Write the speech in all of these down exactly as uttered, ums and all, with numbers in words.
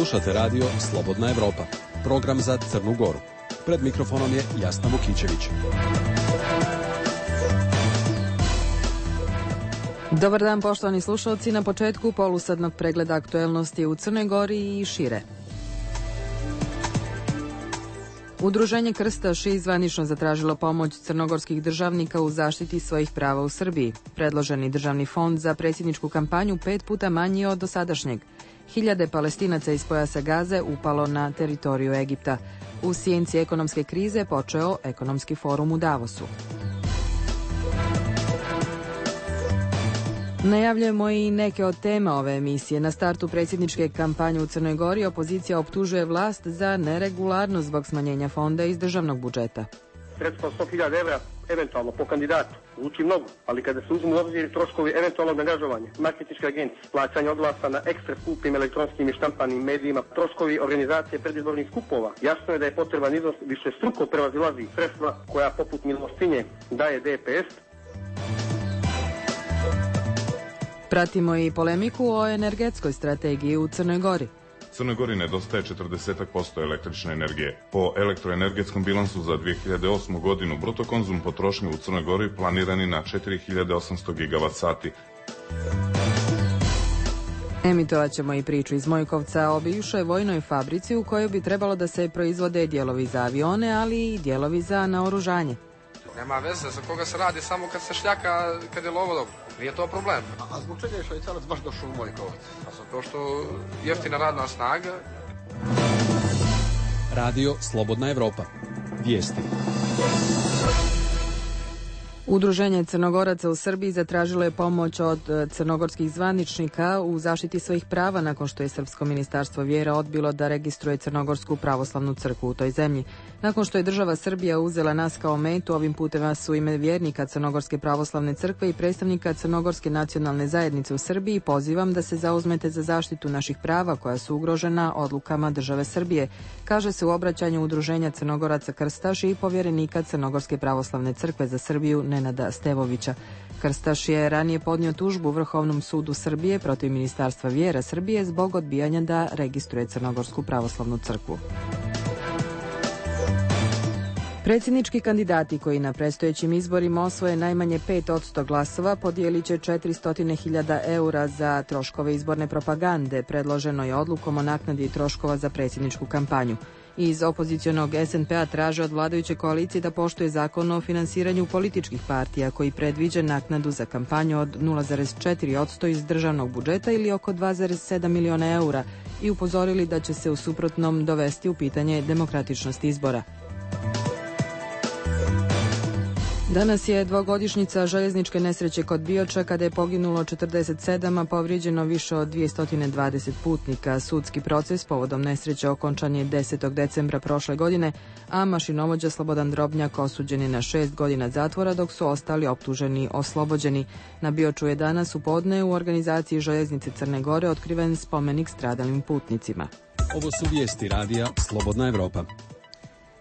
Slušate radio Slobodna Evropa, program za Crnu Goru. Pred mikrofonom je Jasna Vukićević. Dobar dan, poštovani slušalci, na početku polusadnog pregleda aktuelnosti u Crnoj Gori i šire. Udruženje Krstaši zvanično zatražilo pomoć crnogorskih državnika u zaštiti svojih prava u Srbiji. Predloženi državni fond za predsjedničku kampanju pet puta manji od dosadašnjeg. Hiljade Palestinaca iz pojasa Gaze upalo na teritoriju Egipta. U sjenci ekonomske krize počeo ekonomski forum u Davosu. Najavljujemo i neke od tema ove emisije. Na startu predsjedničke kampanje u Crnoj Gori opozicija optužuje vlast za neregularnost zbog smanjenja fonda iz državnog budžeta. Sredstva sto hiljada evra eventualno po kandidatu zvuči mnogo, ali kada se uzmu u obzir troškovi eventualnog angažovanja, marketinške agencije, plaćanje oglasa na ekstra skupim elektronskim i štampanim medijima, troškovi organizacije predizbornih skupova, jasno je da je potreban iznos više struko prevazilazi sredstva koja poput milostinje daje D P S. Pratimo i polemiku o energetskoj strategiji u Crnoj Gori. Crnoj Gori nedostaje četrdeset posto električne energije. Po elektroenergetskom bilansu za dvije hiljade osmu godinu bruto konzum potrošnje u Crnoj Gori planirani na četiri hiljade osamsto gigavat sati. Emitovat ćemo i priču iz Mojkovca o bivšoj vojnoj fabrici u kojoj bi trebalo da se proizvode dijelovi za avione, ali i dijelovi za naoružanje. Nema veze za koga se radi, samo kad se šljaka, kad je lovo dobro. Nije to problem. A, a zbog čega je Švajcarac baš došao u Mojkovac? A zato što jeftina radna snaga. Radio Slobodna Evropa. Vijesti. Udruženje Crnogoraca u Srbiji zatražilo je pomoć od crnogorskih zvaničnika u zaštiti svojih prava nakon što je Srpsko ministarstvo vjera odbilo da registruje Crnogorsku pravoslavnu crkvu u toj zemlji. Nakon što je država Srbija uzela nas kao metu, ovim putem su ime vjernika Crnogorske pravoslavne crkve i predstavnika Crnogorske nacionalne zajednice u Srbiji pozivam da se zauzmete za zaštitu naših prava koja su ugrožena odlukama države Srbije, kaže se u obraćanju Udruženja Crnogoraca Krstaši i povjerenika Crnogorske pravoslavne crkve za Srbiju Nenada Stevovića. Krstaš je ranije podnio tužbu Vrhovnom sudu Srbije protiv Ministarstva vjera Srbije zbog odbijanja da registruje Crnogorsku pravoslavnu crkvu. Predsjednički kandidati koji na predstojećim izborima osvoje najmanje pet posto glasova podijelit će četiristo hiljada eura za troškove izborne propagande. Predloženo je odlukom o naknadi troškova za predsjedničku kampanju. Iz opozicionog S N P-a traže od vladajuće koalicije da poštuje zakon o finansiranju političkih partija koji predviđa naknadu za kampanju od nula zarez četiri posto iz državnog budžeta ili oko dva zarez sedam miliona eura i upozorili da će se u suprotnom dovesti u pitanje demokratičnost izbora. Danas je dvogodišnjica željezničke nesreće kod Bioča kada je poginulo četrdeset sedam, a povrijeđeno više od dvjesto dvadeset putnika. Sudski proces povodom nesreće okončan je desetog decembra prošle godine, a mašinovođa Slobodan Drobnjak osuđen je na šest godina zatvora, dok su ostali optuženi oslobođeni. Na Bioču je danas u podne u organizaciji Željeznice Crne Gore otkriven spomenik stradalim putnicima. Ovo su vijesti radija Slobodna Evropa.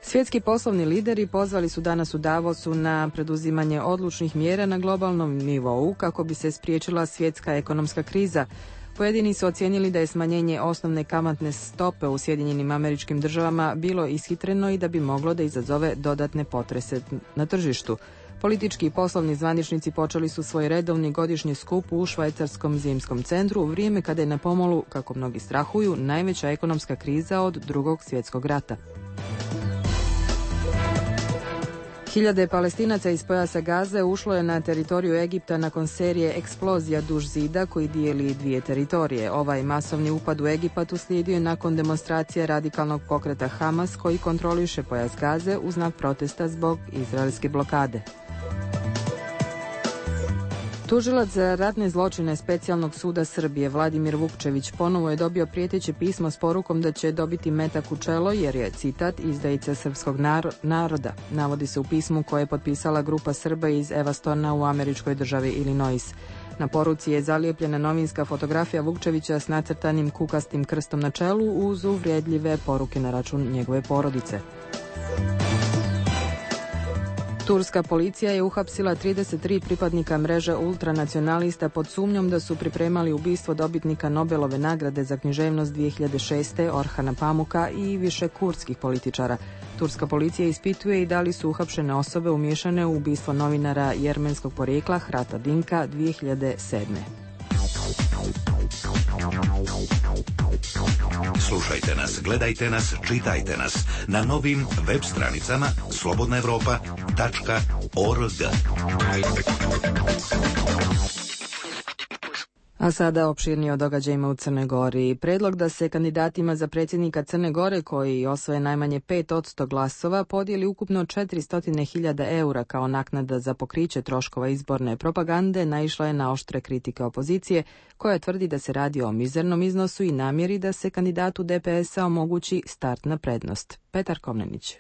Svjetski poslovni lideri pozvali su danas u Davosu na preduzimanje odlučnih mjera na globalnom nivou kako bi se spriječila svjetska ekonomska kriza. Pojedini su ocijenili da je smanjenje osnovne kamatne stope u Sjedinjenim Američkim Državama bilo ishitreno i da bi moglo da izazove dodatne potrese na tržištu. Politički i poslovni zvaničnici počeli su svoj redovni godišnji skup u švajcarskom zimskom centru u vrijeme kada je na pomolu, kako mnogi strahuju, najveća ekonomska kriza od Drugog svjetskog rata. Hiljade Palestinaca iz pojasa Gaze ušlo je na teritoriju Egipta nakon serije eksplozija duž zida koji dijeli dvije teritorije. Ovaj masovni upad u Egipat uslijedio je nakon demonstracije radikalnog pokreta Hamas koji kontroliše pojas Gaze u znak protesta zbog izraelske blokade. Tužilac za ratne zločine Specijalnog suda Srbije Vladimir Vukčević ponovo je dobio prijeteće pismo s porukom da će dobiti metak u čelo jer je, citat, izdajica srpskog naroda. Navodi se u pismu koje je potpisala grupa Srba iz Evastona u američkoj državi Illinois. Na poruci je zalijepljena novinska fotografija Vukčevića s nacrtanim kukastim krstom na čelu uz uvrijedljive poruke na račun njegove porodice. Turska policija je uhapsila trideset tri pripadnika mreže ultranacionalista pod sumnjom da su pripremali ubistvo dobitnika Nobelove nagrade za književnost dvije hiljade šeste. Orhana Pamuka i više kurdskih političara. Turska policija ispituje i da li su uhapšene osobe umiješane u ubistvo novinara jermenskog porijekla Hrata Dinka dvije hiljade sedme. Slušajte nas, gledajte nas, čitajte nas na novim web stranicama slobodna evropa tačka org. A sada opširnije o događajima u Crnoj Gori. Predlog da se kandidatima za predsjednika Crne Gore, koji osvoje najmanje pet posto glasova, podijeli ukupno četiristo hiljada eura kao naknada za pokriće troškova izborne propagande, naišla je na oštre kritike opozicije, koja tvrdi da se radi o mizernom iznosu i namjeri da se kandidatu D P S-a omogući startna prednost. Petar Komnenić.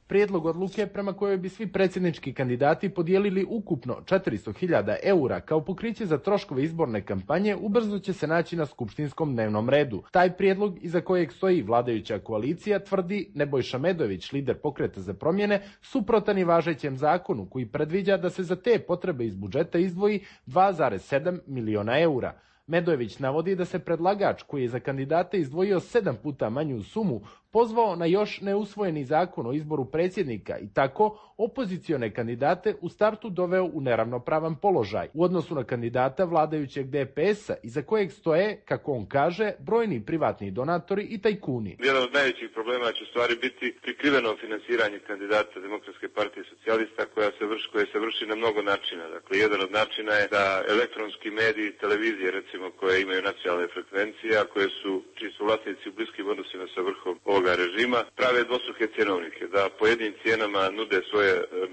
Prijedlog odluke prema kojoj bi svi predsjednički kandidati podijelili ukupno četiristo hiljada eura kao pokriće za troškove izborne kampanje ubrzo će se naći na skupštinskom dnevnom redu. Taj prijedlog, iza kojeg stoji vladajuća koalicija, tvrdi Nebojša Medojević, lider Pokreta za promjene, suprotan i važećem zakonu koji predviđa da se za te potrebe iz budžeta izdvoji dva zarez sedam miliona eura. Medojević navodi da se predlagač, koji je za kandidate izdvojio sedam puta manju sumu, pozvao na još neusvojeni zakon o izboru predsjednika i tako opozicione kandidate u startu doveo u neravnopravan položaj u odnosu na kandidata vladajućeg D P S-a, iza kojeg stoje, kako on kaže, brojni privatni donatori i tajkuni. Jedan od najvećih problema će u stvari biti prikriveno finansiranje kandidata Demokratske partije socijalista koja se vrši, koje se vrši na mnogo načina. Dakle, jedan od načina je da elektronski mediji, televizije recimo, koje imaju nacionalne frekvencije, a koje su, čiji su vlasnici u bliskim odnosima sa vrhom ovoga režima, prave dvostruke cjenovnike, da po jednim cijenama nude svoje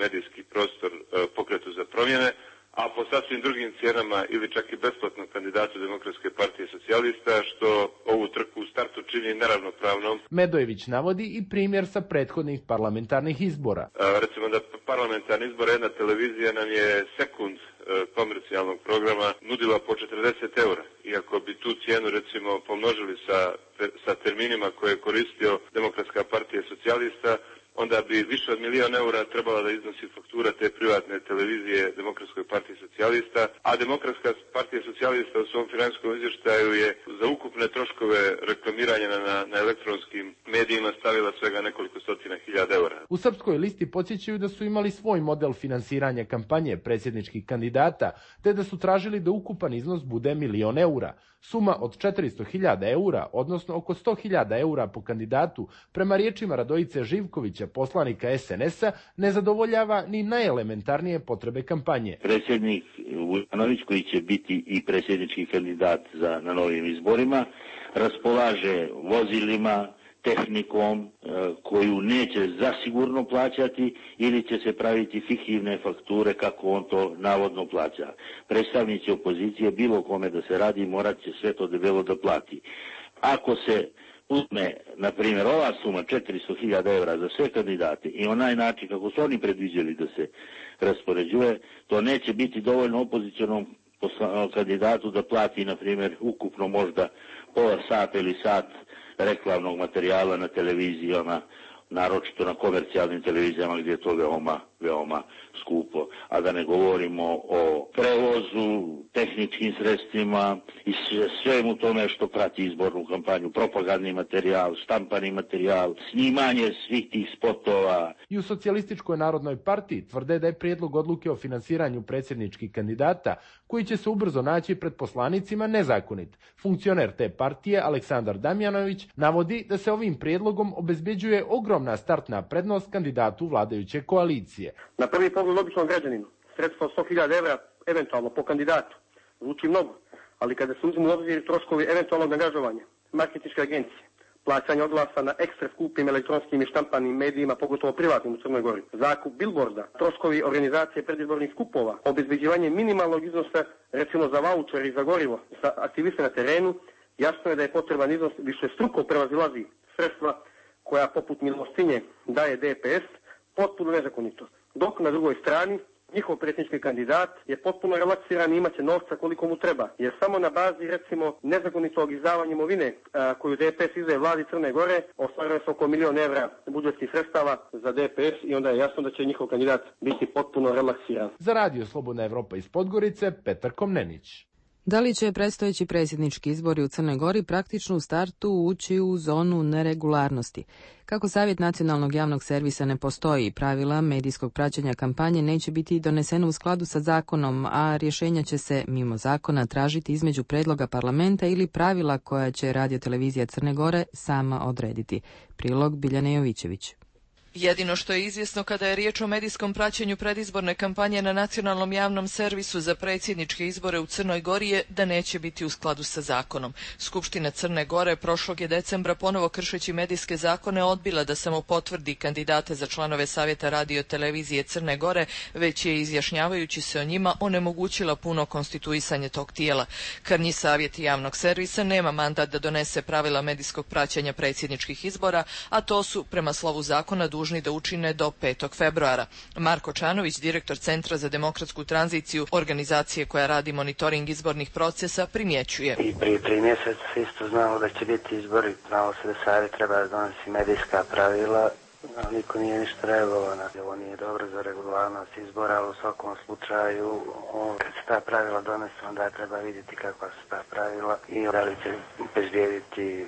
medijski prostor Pokretu za promjene, a po sasvim drugim cijenama ili čak i besplatno kandidatu Demokratske partije socijalista, što ovu trku u startu čini neravnopravnom. Medojević navodi i primjer sa prethodnih parlamentarnih izbora. A, recimo da parlamentarni izbor, jedna televizija nam je sekund komercijalnog programa nudila po četrdeset eura. Iako bi tu cijenu recimo pomnožili sa, sa terminima koje je koristio Demokratska partija socijalista, onda bi više od milijon eura trebala da iznosi faktura te privatne televizije Demokratskoj partiji socijalista, a Demokratska partija socijalista u svom financijskom izvještaju je za ukupne troškove reklamiranja na, na elektronskim medijima stavila svega nekoliko stotina hiljada eura. U Srpskoj listi podsjećaju da su imali svoj model finansiranja kampanje predsjedničkih kandidata, te da su tražili da ukupan iznos bude milion eura. Suma od četiristo hiljada eura, odnosno oko sto hiljada eura po kandidatu, prema riječima Radojice Živkovića, poslanika S N S-a, ne zadovoljava ni najelementarnije potrebe kampanje. Predsjednik Vujanović, koji će biti i predsjednički kandidat za, na novim izborima, raspolaže vozilima, tehnikom koju neće zasigurno plaćati ili će se praviti fiktivne fakture kako on to navodno plaća. Predstavnici opozicije, bilo kome da se radi, morat će sve to debelo da plati. Ako se uzme, na primjer, ova suma četiristo hiljada eura za sve kandidate i onaj način kako su oni predviđali da se raspoređuje, to neće biti dovoljno opozicionom kandidatu da plati, na primjer, ukupno možda pola sata ili sat reklamnog materijala na televizijama, naročito na komercijalnim televizijama gdje je to veoma, veoma skupo. A da ne govorimo o prevozu, tehničkim sredstvima i svemu tome što prati izbornu kampanju, propagandni materijal, štampani materijal, snimanje svih tih spotova. I u Socijalističkoj narodnoj partiji tvrde da je prijedlog odluke o finansiranju predsjedničkih kandidata, koji će se ubrzo naći pred poslanicima, nezakonit. Funkcioner te partije, Aleksandar Damjanović, navodi da se ovim prijedlogom obezbeđuje ogromna startna prednost kandidatu vladajuće koalicije. Na prvi pogled običnom građaninu, sredstvo sto hiljada evra eventualno po kandidatu zvuči mnogo, ali kada se uzmu u obzir troškovi eventualnog angažovanja, marketinške agencije, plaćanje oglasa na ekstra skupim elektronskim i štampanim medijima, pogotovo privatnim u Crnoj Gori, zakup bilborda, troškovi organizacije predizbornih skupova, obezbeđivanje minimalnog iznosa, recimo za vaučer i za gorivo, za aktiviste na terenu, jasno je da je potreban iznos više struko prevazilazi sredstva koja poput milostinje daje D P S, potpuno nezakonito. Dok na drugoj strani njihov predsjednički kandidat je potpuno relaksiran i imaće novca koliko mu treba. Jer samo na bazi, recimo, nezakonitog izdavanja imovine a, koju D P S izdaje vladi Crne Gore, ostvaruje se oko milion evra budžetskih sredstava za D P S i onda je jasno da će njihov kandidat biti potpuno relaksiran. Za Radio Slobodna Evropa iz Podgorice, Petar Komnenić. Da li će predstojeći predsjednički izbori u Crnoj Gori praktično u startu ući u zonu neregularnosti? Kako Savjet nacionalnog javnog servisa ne postoji, pravila medijskog praćenja kampanje neće biti doneseno u skladu sa zakonom, a rješenja će se mimo zakona tražiti između predloga parlamenta ili pravila koja će Radiotelevizija Crne Gore sama odrediti. Prilog Biljane Jovićević. Jedino što je izvjesno kada je riječ o medijskom praćenju predizborne kampanje na nacionalnom javnom servisu za predsjedničke izbore u Crnoj Gori je da neće biti u skladu sa zakonom. Skupština Crne Gore prošlog je decembra ponovo kršeći medijske zakone odbila da samo potvrdi kandidate za članove Savjeta Radiotelevizije Crne Gore, već je izjašnjavajući se o njima onemogućila puno konstituisanje tog tijela. Krnji Savjet javnog servisa nema mandat da donese pravila medijskog praćenja predsjedničkih izbora, a to su prema slovu zakona dužni da učine do petog februara. Marko Čanović, direktor Centra za demokratsku tranziciju, organizacije koja radi monitoring izbornih procesa, primjećuje. I prije tri mjeseca isto znamo da će biti izbori, znamo se da savjet treba da donosi medijska pravila, ali niko nije ništa reagovao. Ovo nije dobro za regularnost izbora, ali u svakom slučaju kad se ta pravila donese, onda treba vidjeti kakva su ta pravila i da li će obezbijediti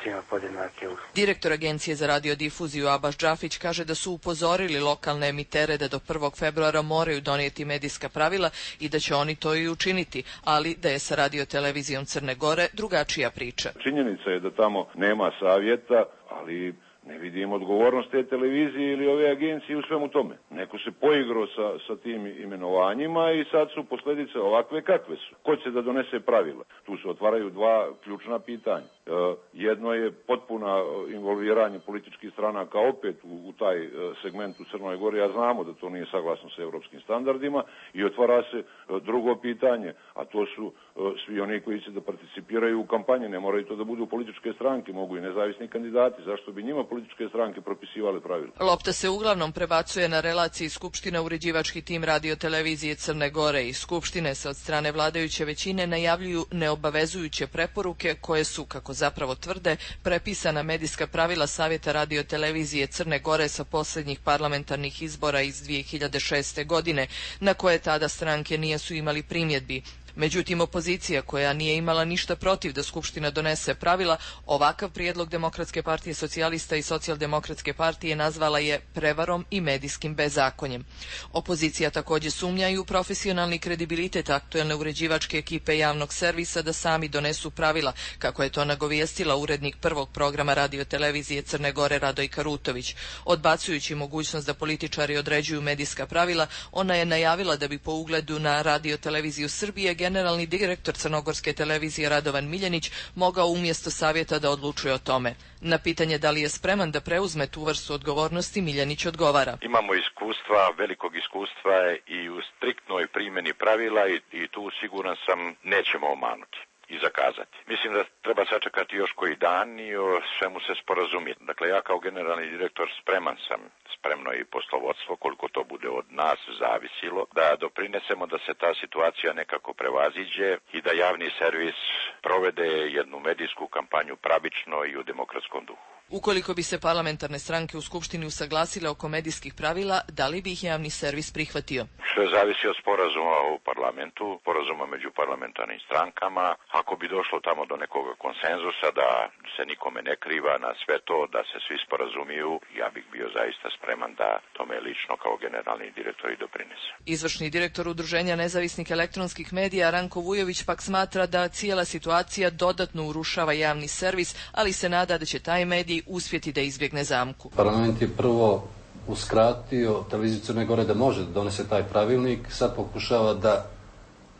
svima podjednake usluge. Direktor Agencije za radiodifuziju Abaš Džafić kaže da su upozorili lokalne emitere da do prvog februara moraju donijeti medijska pravila i da će oni to i učiniti, ali da je sa Radiotelevizijom Crne Gore drugačija priča. Činjenica je da tamo nema savjeta, ali ne vidim odgovornost te televizije ili ove agencije u svemu tome. Neko se poigrao sa, sa tim imenovanjima i sad su posljedice ovakve kakve su. Ko će da donese pravila? Tu se otvaraju dva ključna pitanja. E, jedno je potpuna involviranje političkih stranaka opet u, u taj e, segment u Crnoj Gori, a znamo da to nije saglasno sa europskim standardima, i otvara se e, drugo pitanje, a to su e, svi oni koji će da participiraju u kampanji. Ne moraju to da budu političke stranke, mogu i nezavisni kandidati. Zašto bi njima političke stranke propisivale pravila? Lopta se uglavnom prebacuje na relaciji Skupština uređivački tim Radiotelevizije Crne Gore i Skupštine se od strane vladajuće većine najavljuju neobavezujuće preporuke koje su, kako zapravo tvrde, prepisana medijska pravila Savjeta Radiotelevizije Crne Gore sa posljednjih parlamentarnih izbora iz dvije hiljade šeste. godine, na koje tada stranke nisu imali primjedbi. Međutim, opozicija, koja nije imala ništa protiv da Skupština donese pravila, ovakav prijedlog Demokratske partije socijalista i Socijaldemokratske partije nazvala je prevarom i medijskim bezakonjem. Opozicija također sumnja i u profesionalni kredibilitet aktuelne uređivačke ekipe javnog servisa da sami donesu pravila, kako je to nagovijestila urednik prvog programa Radiotelevizije Crne Gore Radoj Karutović. Odbacujući mogućnost da političari određuju medijska pravila, ona je najavila da bi po ugledu na Radioteleviziju Srbije generalni direktor crnogorske televizije Radovan Miljenić mogao umjesto savjeta da odlučuje o tome. Na pitanje da li je spreman da preuzme tu vrstu odgovornosti, Miljenić odgovara. Imamo iskustva, velikog iskustva i u striktnoj primjeni pravila i, i tu siguran sam nećemo omanuti i zakazati. Mislim da treba sačekati još koji dan i o svemu se sporazumjeti. Dakle, ja kao generalni direktor spreman sam, spremno i poslovodstvo, koliko to bude od nas zavisilo, da doprinesemo da se ta situacija nekako prevaziđe i da javni servis provede jednu medijsku kampanju pravično i u demokratskom duhu. Ukoliko bi se parlamentarne stranke u Skupštini usaglasile oko medijskih pravila, da li bi ih javni servis prihvatio? Sve zavisi od sporazuma u parlamentu, sporazuma među parlamentarnim strankama. Ako bi došlo tamo do nekog konsenzusa da se nikome ne kriva na sve to, da se svi sporazumiju, ja bih bio zaista spreman da tome lično kao generalni direktor i doprinese. Izvršni direktor Udruženja nezavisnih elektronskih medija Ranko Vujović pak smatra da cijela situacija dodatno urušava javni servis, ali se nada da će taj medij uspjeti da izbjegne zamku. Parlament je prvo uskratio televiziju Crne Gore da može da donese taj pravilnik, sad pokušava da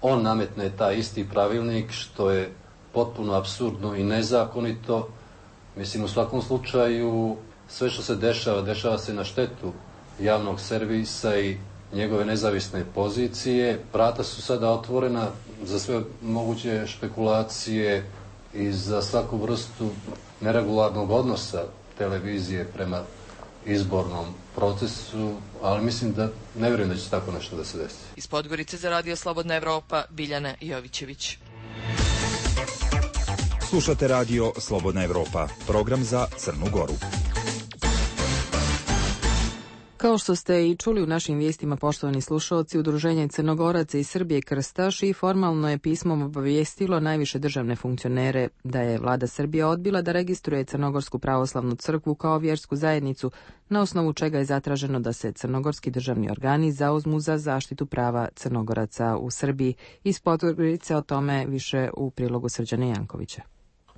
on nametne taj isti pravilnik, što je potpuno apsurdno i nezakonito. Mislim, u svakom slučaju sve što se dešava, dešava se na štetu javnog servisa i njegove nezavisne pozicije. Vrata su sada otvorena za sve moguće špekulacije i za svaku vrstu neregularnog odnosa televizije prema izbornom procesu, ali mislim da ne vjerujem da će tako nešto da se desi. Iz Podgorice za Radio Slobodna Evropa, Biljana Jovićević. Slušate Radio Slobodna Evropa, program za Crnu Goru. Kao što ste i čuli u našim vijestima, poštovani slušalci, Udruženje Crnogoraca iz Srbije Krstaš i formalno je pismom obavijestilo najviše državne funkcionere da je vlada Srbije odbila da registruje Crnogorsku pravoslavnu crkvu kao vjersku zajednicu, na osnovu čega je zatraženo da se crnogorski državni organi zauzmu za zaštitu prava Crnogoraca u Srbiji. Iz Podgorice o tome više u prilogu Srđana Jankovića.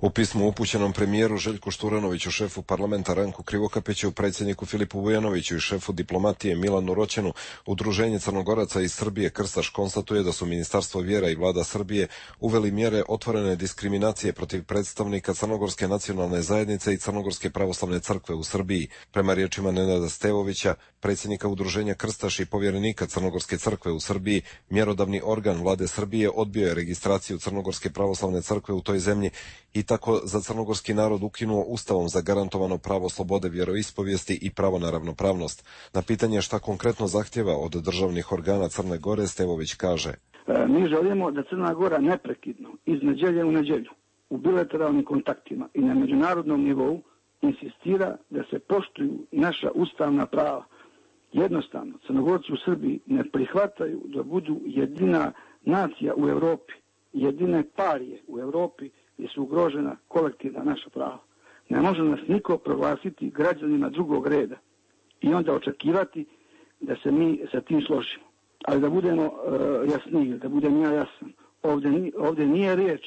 U pismu upućenom premijeru Željku Šturanoviću, šefu parlamenta Ranku Krivokapiću, predsjedniku Filipu Vujanoviću i šefu diplomatije Milanu Roćenu, Udruženje Crnogoraca iz Srbije Krstaš konstatuje da su Ministarstvo vjera i vlada Srbije uveli mjere otvorene diskriminacije protiv predstavnika Crnogorske nacionalne zajednice i Crnogorske pravoslavne crkve u Srbiji. Prema riječima Nenada Stevovića, predsjednika Udruženja Krstaš i povjerenika Crnogorske crkve u Srbiji, mjerodavni organ vlade Srbije odbio je registraciju Crnogorske pravoslavne crkve u toj zemlji i tako za crnogorski narod ukinuo ustavom zagarantovano pravo slobode vjeroispovijesti i pravo na ravnopravnost. Na pitanje šta konkretno zahtjeva od državnih organa Crne Gore, Stevović kaže: e, mi želimo da Crna Gora neprekidno iz nedjelje u nedjelju u bilateralnim kontaktima i na međunarodnom nivou insistira da se poštuju naša ustavna prava. Jednostavno, Crnogorci u Srbiji ne prihvataju da budu jedina nacija u Europi, jedine parije u Europi gdje su ugrožena kolektivna naša prava. Ne može nas niko proglasiti građanima drugog reda i onda očekivati da se mi sa tim složimo. Ali da budemo uh, jasniji, da budem ja jasan, ovdje, ovdje nije riječ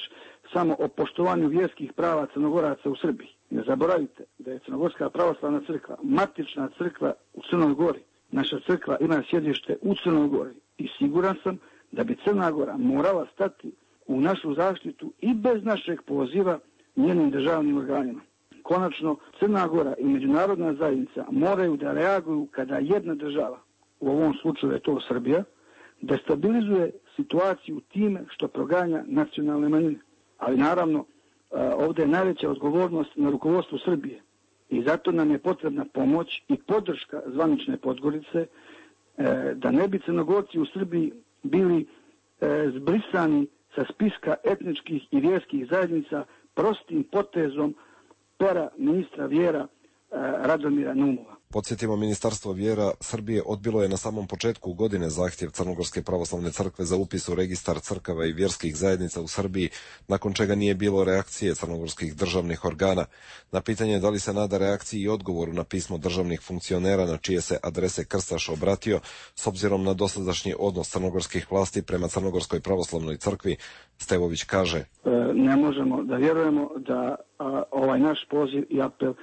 samo o poštovanju vjerskih prava Crnogoraca u Srbiji. Ne zaboravite da je Crnogorska pravoslavna crkva matična crkva u Crnoj Gori. Naša crkva ima sjedište u Crnoj Gori i siguran sam da bi Crna Gora morala stati u našu zaštitu i bez našeg poziva njenim državnim organima. Konačno, Crna Gora i međunarodna zajednica moraju da reaguju kada jedna država, u ovom slučaju je to Srbija, destabilizuje situaciju time što proganja nacionalne manjine. Ali naravno, ovdje je najveća odgovornost na rukovodstvu Srbije i zato nam je potrebna pomoć i podrška zvanične Podgorice da ne bi Crnogorci u Srbiji bili zbrisani sa spiska etničkih i vjerskih zajednica prostim potezom pera ministra vjera Radomira Naumova. Podsjetimo, Ministarstvo vjera Srbije odbilo je na samom početku godine zahtjev Crnogorske pravoslavne crkve za upis u registar crkava i vjerskih zajednica u Srbiji, nakon čega nije bilo reakcije crnogorskih državnih organa. Na pitanje da li se nada reakciji i odgovoru na pismo državnih funkcionera na čije se adrese Krstaš obratio, s obzirom na dosadašnji odnos crnogorskih vlasti prema Crnogorskoj pravoslavnoj crkvi, Stevović kaže: e, ne možemo da vjerujemo da a, ovaj naš poziv i apel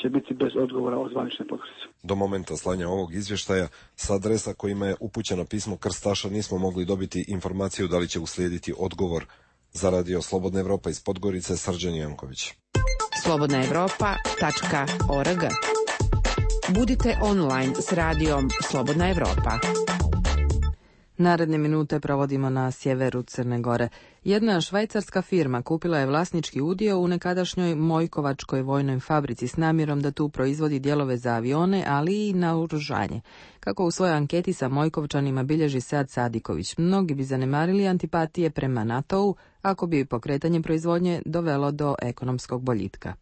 će biti bez odgovora od zvanične Podgorice. Do momenta slanja ovog izvještaja sa adresa kojima je upućeno pismo Krstaša nismo mogli dobiti informaciju da li će uslijediti odgovor. Za Radio Slobodna Evropa iz Podgorice, Srđan Janković. slobodna evropa tačka org. Budite online s radijom Slobodna Evropa. Naredne minute provodimo na sjeveru Crne Gore. Jedna švajcarska firma kupila je vlasnički udio u nekadašnjoj Mojkovačkoj vojnoj fabrici s namjerom da tu proizvodi dijelove za avione, ali i naoružanje. Kako u svojoj anketi sa Mojkovčanima bilježi Sead Sadiković, mnogi bi zanemarili antipatije prema NATO-u ako bi pokretanje proizvodnje dovelo do ekonomskog boljitka.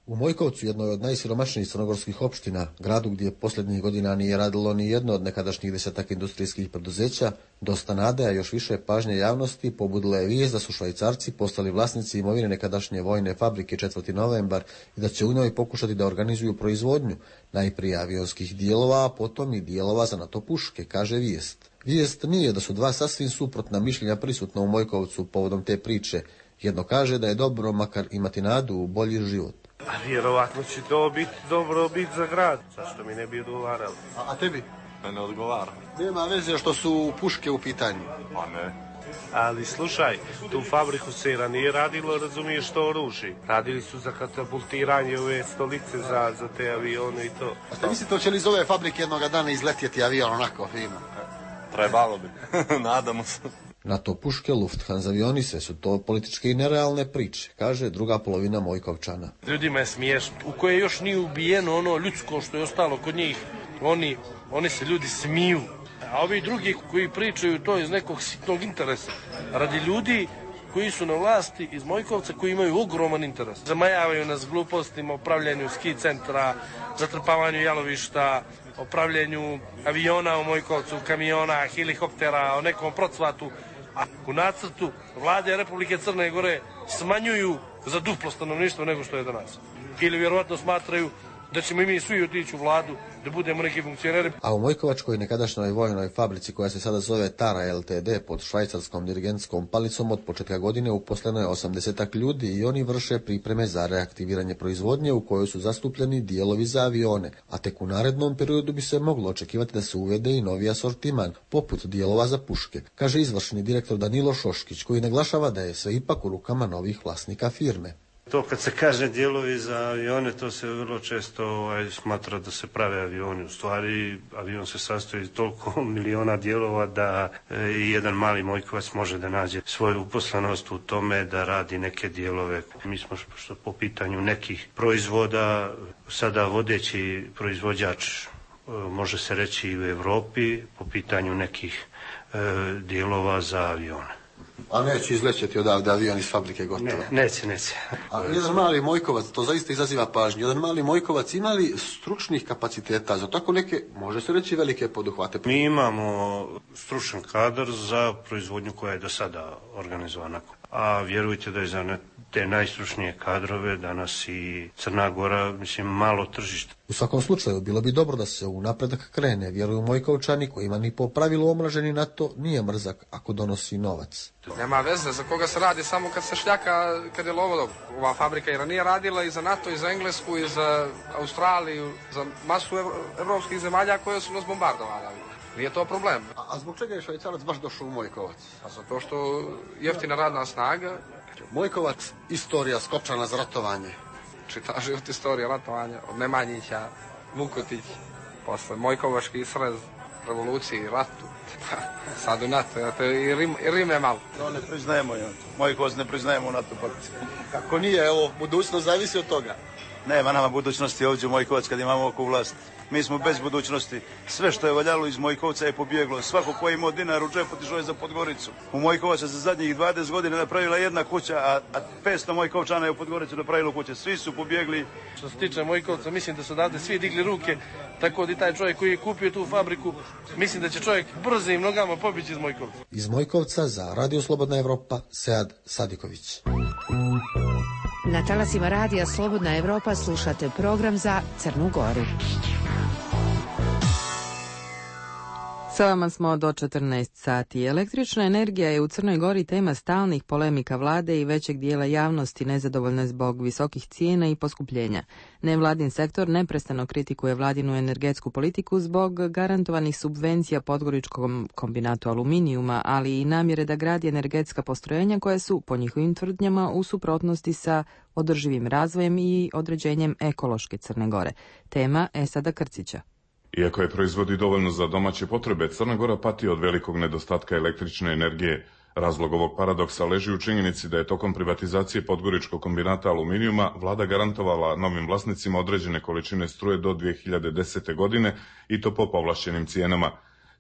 U Mojkovcu, jednoj od najsiromašnijih crnogorskih opština, gradu gdje posljednjih godina nije radilo ni jedno od nekadašnjih desetak industrijskih preduzeća, dosta nade, a još više pažnje javnosti pobudila je vijest da su Švajcarci postali vlasnici imovine nekadašnje vojne fabrike četvrti novembar i da će u njoj pokušati da organizuju proizvodnju najprije avionskih dijelova, a potom i dijelova za NATO puške, kaže vijest. Vijest nije da su dva sasvim suprotna mišljenja prisutna u Mojkovcu povodom te priče. Jedno kaže da je dobro makar imati nadu u bolji život. Pa vjerovatno će to biti dobro bit za grad, zašto mi ne bi odgovaralo. A, a tebi? Ne odgovara. Nema veze što su puške u pitanju. Pa ne. Ali slušaj, tu fabriku se nije radilo, razumiješ, što oruži. Radili su za katapultiranje ove stolice za, za te avione i to. A ste mislite, hoće li iz ove fabrike jednoga dana izletjeti avion onako fino? Trebalo bi, nadamo se. NATO puške, Lufthansa avioni, sve su to političke i nerealne priče, kaže druga polovina Mojkovčana. Ljudima je smiješno, u koje još nije ubijeno ono ljudsko što je ostalo kod njih, oni, oni se ljudi smiju. A ovi drugi koji pričaju to iz nekog sitnog interesa, radi ljudi koji su na vlasti iz Mojkovca, koji imaju ogroman interes. Zamajavaju nas glupostima o pravljenju ski centra, zatrpavanju jalovišta, o pravljenju aviona u Mojkovcu, kamiona, helikoptera, o nekom procvatu. A u nacrtu vlade Republike Crne Gore smanjuju za duplo stanovništvo nego što je danas. Ili vjerovatno smatraju da ćemo i mi svi otići u vladu, da budemo neki funkcioneri. A u Mojkovačkoj nekadašnjoj vojnoj fabrici koja se sada zove Tara L T D pod švajcarskom dirigentskom palicom od početka godine uposleno je osamdesetak ljudi i oni vrše pripreme za reaktiviranje proizvodnje u kojoj su zastupljeni dijelovi za avione, a tek u narednom periodu bi se moglo očekivati da se uvede i novi asortiman, poput dijelova za puške, kaže izvršni direktor Danilo Šoškić, koji naglašava da je sve ipak u rukama novih vlasnika firme. To kad se kaže dijelovi za avione, to se vrlo često ovaj, smatra da se prave avioni. U stvari, avion se sastoji iz toliko miliona dijelova da e, i jedan mali Mojkovac može da nađe svoju uposlenost u tome da radi neke dijelove. Mi smo što po pitanju nekih proizvoda sada vodeći proizvođač, e, može se reći i u Evropi, po pitanju nekih e, dijelova za avione. A neće izlećeti odavde avion iz fabrike gotovo? Ne, neće, neće. A jedan mali Mojkovac, to zaista izaziva pažnju, jedan mali Mojkovac ima li stručnih kapaciteta za tako neke, može se reći, velike poduhvate? Mi imamo stručan kadar za proizvodnju koja je do sada organizovana. A vjerujte da je za te najstručnije kadrove danas i Crna Gora, mislim, malo tržište. U svakom slučaju, bilo bi dobro da se u napredak krene, vjeruju Mojkovčani, kojima ni po pravilu omraženi na to nije mrzak ako donosi novac. Nema veze za koga se radi, samo kad se šljaka, kad je lovo dobro. Ova fabrika i ranije radila i za NATO, i za Englesku, i za Australiju, za masu evropskih zemalja koje su nas bombardovali. Nije to problem. A, a zbog čega je Švajcarac baš došao u Mojkovac? A zato što jeftina radna snaga. Mojkovac, istorija Skopčana za ratovanje. Čita život istorija ratovanja, od Nemanjića, Vukotić, posle Mojkovački srez, revoluciji, ratu, sad u NATO, to je i, Rim, i Rime malo. No, ne priznajemo je. Mojkovac ne priznajemo u NATO paktu. Kako nije, evo, budućnost zavisi od toga. Nema nama budućnosti ovdje u Mojkovac kad imamo oko vlast. Mi smo bez budućnosti. Sve što je valjalo iz Mojkovca je pobjeglo. Svako ko je imao dinar u džepu otišao je za Podgoricu. U Mojkovaca za zadnjih dvadeset godina napravila jedna kuća, a, a petsto Mojkovčana je u Podgoricu napravilo kuće. Svi su pobjegli. Što se tiče Mojkovca, mislim da su odavde svi digli ruke, tako da i taj čovjek koji je kupio tu fabriku, mislim da će čovjek brzim nogama pobići iz Mojkovca. Iz Mojkovca za Radio Slobodna Evropa, Sead Sadiković. Na talasima Radija Slobodna Evropa slušate program za Crnu Goru. Sa vama smo do četrnaest sati. Električna energija je u Crnoj Gori tema stalnih polemika vlade i većeg dijela javnosti nezadovoljne zbog visokih cijena i poskupljenja. Nevladin sektor neprestano kritikuje vladinu energetsku politiku zbog garantovanih subvencija Podgoričkom kombinatu aluminijuma, ali i namjere da gradi energetska postrojenja koja su, po njihovim tvrdnjama, u suprotnosti sa održivim razvojem i određenjem ekološke Crne Gore. Tema Esada Krcića. Iako je proizvodi dovoljno za domaće potrebe, Crna Gora pati od velikog nedostatka električne energije. Razlog ovog paradoksa leži u činjenici da je tokom privatizacije Podgoričkog kombinata aluminijuma vlada garantovala novim vlasnicima određene količine struje do dvije hiljade desete. godine i to po povlašćenim cijenama.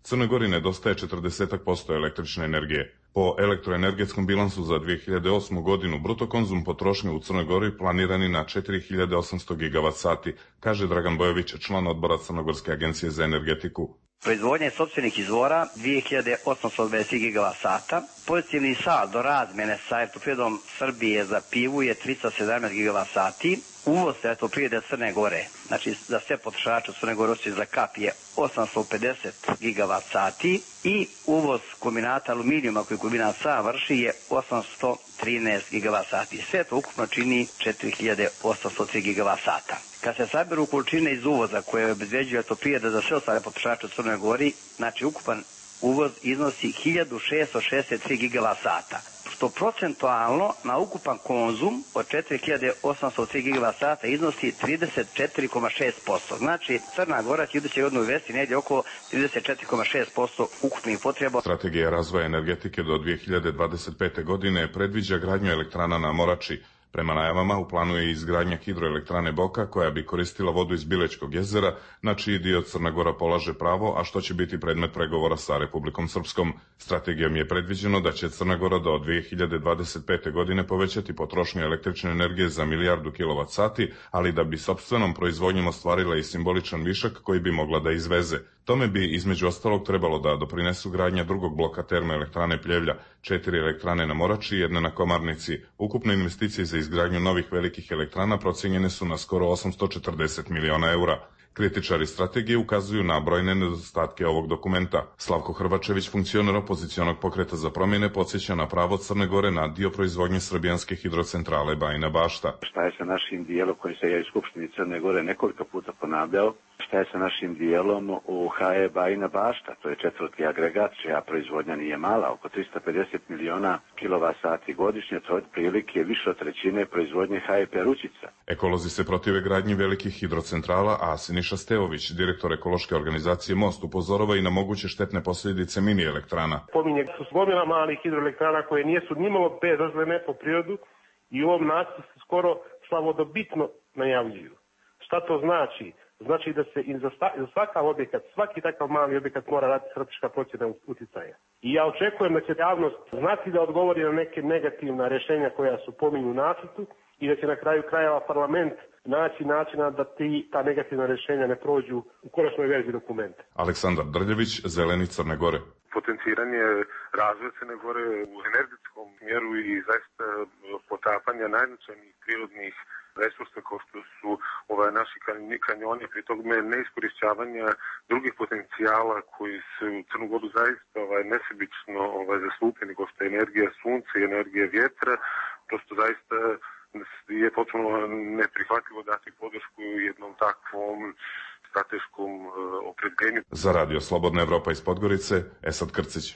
Crnoj Gori nedostaje četrdeset posto električne energije. Po elektroenergetskom bilansu za dvije hiljade osmu. godinu bruto konzum potrošnje u Crnoj Gori planirani na četiri hiljade osamsto gigavat sati, kaže Dragan Bojović, član odbora Crnogorske agencije za energetiku. Proizvodnje sopstvenih izvora dvije hiljade osamsto dvadeset gigavat sata, pozitivni saldo razmjene sa Elektroprivredom Srbije za pivu je tristo sedamnaest gigavat sati, uvoz Elektroprivrede Crne Gore, znači za sve potrošače u Crne Gore osim za kap je osamsto pedeset gigavat sati i uvoz kombinata aluminijuma koji kombinat sam vrši je osamsto trinaest gigavat sati. Sve to ukupno čini četiri hiljade osamsto tri gigavat sata. Kad se saberu količine iz uvoza koje obezbeđuje Elektroprivreda za sve ostale potrošače u Crnoj Gori, znači ukupan uvoz iznosi hiljadu šesto šezdeset tri gigavat sata, što što procentualno na ukupan konzum od četiri hiljade osamsto tri gigavat sata iznosi trideset četiri zarez šest posto. Znači, Crna Gora će iduće godine uvesti negdje oko trideset četiri zarez šest posto ukupnih potreba. Strategija razvoja energetike do dvije hiljade dvadeset pete. godine predviđa gradnju elektrana na Morači. Prema najavama u planu je izgradnja hidroelektrane Boka koja bi koristila vodu iz Bilećkog jezera, na čiji dio Crna Gora polaže pravo, a što će biti predmet pregovora sa Republikom Srpskom. Strategijom je predviđeno da će Crna Gora do dvije hiljade dvadeset pete. godine povećati potrošnju električne energije za milijardu kilovat sati, ali da bi sopstvenom proizvodnjom ostvarila i simboličan višak koji bi mogla da izveze. Tome bi između ostalog trebalo da doprinesu gradnja drugog bloka termoelektrane Pljevlja, četiri elektrane na Morači i jedna na Komarnici. Ukupne investicije za izgradnju novih velikih elektrana procijenjene su na skoro osamsto četrdeset miliona eura. Kritičari strategije ukazuju na brojne nedostatke ovog dokumenta. Slavko Hrvačević, funkcioner opozicionog pokreta za promjene, podsjeća na pravo Crne Gore na dio proizvodnje srbijanske hidrocentrale Bajina Bašta. Šta je sa našim dijelom koji se ja iz Skupštini Crne Gore nekoliko puta ponavljao? Šta je sa našim dijelom u H E Bajina Bašta? To je četvrti agregat, čija proizvodnja nije mala, oko tristo pedeset miliona kilovat sati godišnje, to je otprilike više od trećine proizvodnje H E Perućica. Ekolozi se protive gradnji velikih hidrocentrala, a Siniša Stevović, direktor ekološke organizacije Most, upozorava i na moguće štetne posljedice mini elektrana. Pominje su gomila malih hidroelektrana koje nijesu nimalo bezazlene po prirodu i u ovom nacrtu se skoro slavodobitno najavljuju. Šta to znači? Znači da se i za, za svakav objekat, svaki takav mali objekat mora raditi strateška procjena utjecaja. I ja očekujem da će javnost znati da odgovori na neke negativna rješenja koja su pominju u nacrtu i da će na kraju krajeva parlament naći načina da ti, ta negativna rješenja ne prođu u konačnoj verziji dokumenta. Aleksandar Drljević, Zeleni Crne Gore. Potenciranje razvoja Crne Gore u energetskom smjeru i zaista potapanja najznačajnijih prirodnih resursa kao što su ovaj, naši kanjoni, pri tome neiskorišćavanja drugih potencijala koji se u Crnu Goru zaista ovaj, nesebično ovaj, zastupljeni, kao što je energija sunca i energija vjetra, prosto zaista je potpuno neprihvatljivo dati podršku jednom takvom strateškom uh, opredjeljenju. Za radio Slobodna Evropa iz Podgorice, Esad Krcić.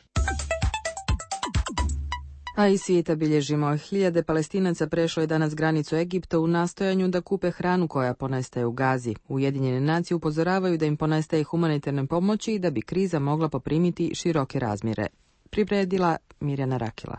A iz svijeta bilježimo, hiljade Palestinaca prešlo je danas granicu Egipta u nastojanju da kupe hranu koja ponestaje u Gazi. Ujedinjene nacije upozoravaju da im ponestaje humanitarne pomoći i da bi kriza mogla poprimiti široke razmjere. Priredila Mirjana Rakila.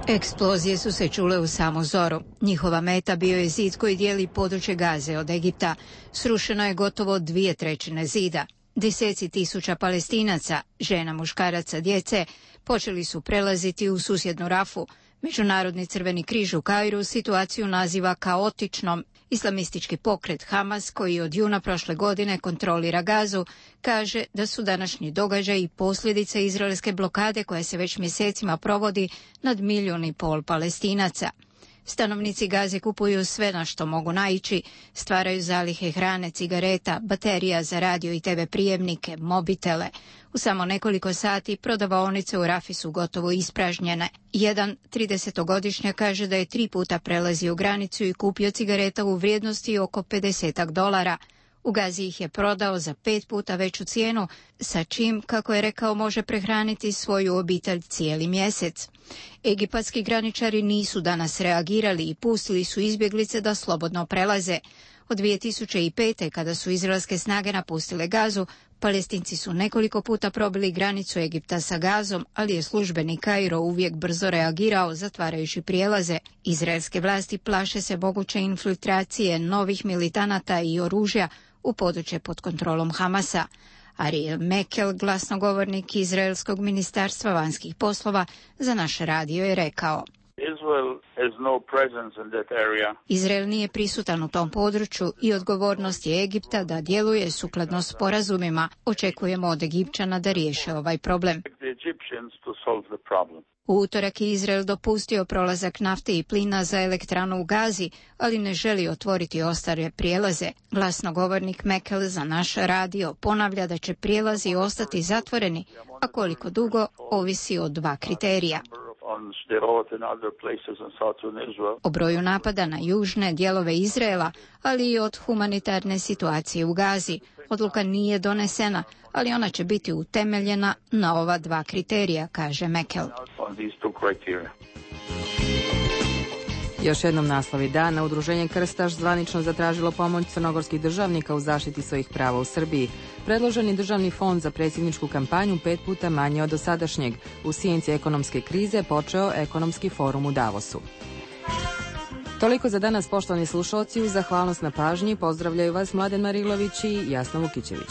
Eksplozije su se čule u samu zoru. Njihova meta bio je zid koji dijeli područje Gaze od Egipta. Srušeno je gotovo dvije trećine zida. Deseci tisuća Palestinaca, žena, muškaraca, djece, počeli su prelaziti u susjednu Rafu. Međunarodni Crveni križ u Kairu situaciju naziva kaotičnom. Islamistički pokret Hamas, koji od juna prošle godine kontrolira Gazu, kaže da su današnji događaji posljedice izraelske blokade koja se već mjesecima provodi nad milijun i pol Palestinaca. Stanovnici Gaze kupuju sve na što mogu naići, stvaraju zalihe hrane, cigareta, baterija za radio i te ve prijemnike, mobitele. U samo nekoliko sati prodavaonice u Rafi su gotovo ispražnjene. Jedan tridesetogodišnjak kaže da je tri puta prelazio granicu i kupio cigareta u vrijednosti oko pedeset dolara. U Gazi ih je prodao za pet puta veću cijenu, sa čim, kako je rekao, može prehraniti svoju obitelj cijeli mjesec. Egipatski graničari nisu danas reagirali i pustili su izbjeglice da slobodno prelaze. Od dvije tisuće pete. kada su izraelske snage napustile Gazu, Palestinci su nekoliko puta probili granicu Egipta sa Gazom, ali je službeni Kairo uvijek brzo reagirao, zatvarajući prijelaze. Izraelske vlasti plaše se moguće infiltracije novih militanata i oružja u područje pod kontrolom Hamasa. Ariel Mekel, glasnogovornik Izraelskog ministarstva vanjskih poslova, za naš radio je rekao: Izrael nije prisutan u tom području i odgovornost je Egipta da djeluje sukladno sporazumima. Očekujemo od Egipćana da riješe ovaj problem. U utorak je Izrael dopustio prolazak nafte i plina za elektranu u Gazi, ali ne želi otvoriti ostale prijelaze. Glasnogovornik Mekel za naš radio ponavlja da će prijelazi ostati zatvoreni, a koliko dugo ovisi od dva kriterija. O broju napada na južne dijelove Izraela, ali i od humanitarne situacije u Gazi. Odluka nije donesena, ali ona će biti utemeljena na ova dva kriterija, kaže Mekel. Još jednom naslovi dana. Udruženje Krstaš zvanično zatražilo pomoć crnogorskih državnika u zaštiti svojih prava u Srbiji. Predloženi državni fond za predsjedničku kampanju pet puta manje od dosadašnjeg. U sjenci ekonomske krize počeo ekonomski forum u Davosu. Toliko za danas, poštovani slušalci. Uz zahvalnost na pažnji pozdravljaju vas Mladen Marilović i Jasna Vukićević.